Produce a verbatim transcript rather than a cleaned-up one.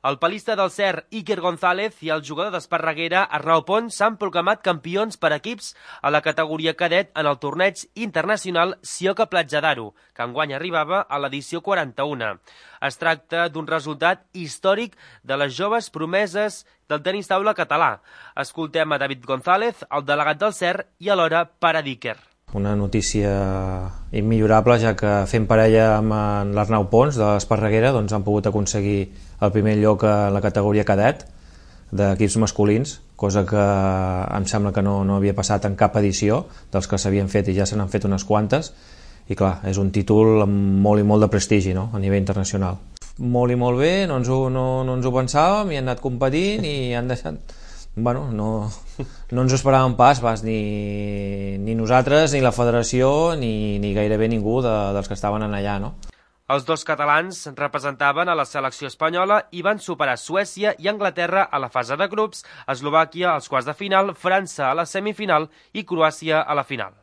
El palista del Cer, Iker González, i el jugador d'Esparreguera, Arnau Pons, s'han proclamat campions per equips a la categoria cadet en el torneig internacional Sioca Platja d'Aro, que enguany arribava a l'edició quaranta-una. Es tracta d'un resultat històric de les joves promeses del tenis taula català. Escoltem a David González, el delegat del Cer, i alhora pare d'Iker. Una notícia immillorable, ja que fent parella amb l'Arnau Pons de l'Esparreguera doncs han pogut aconseguir el primer lloc en la categoria cadet d'equips masculins, cosa que em sembla que no, no havia passat en cap edició dels que s'havien fet, i ja se n'han fet unes quantes, i clar, és un títol amb molt i molt de prestigi, no?, a nivell internacional. Molt i molt bé, no ens ho, no, no ens ho pensàvem, i han anat competint i han deixat... Bueno, no, no ens ho esperàvem pas, pas ni, ni nosaltres, ni la federació, ni, ni gairebé ningú de, dels que estaven allà, no? Els dos catalans representaven a la selecció espanyola i van superar Suècia i Anglaterra a la fase de grups, Eslovàquia als quarts de final, França a la semifinal i Croàcia a la final.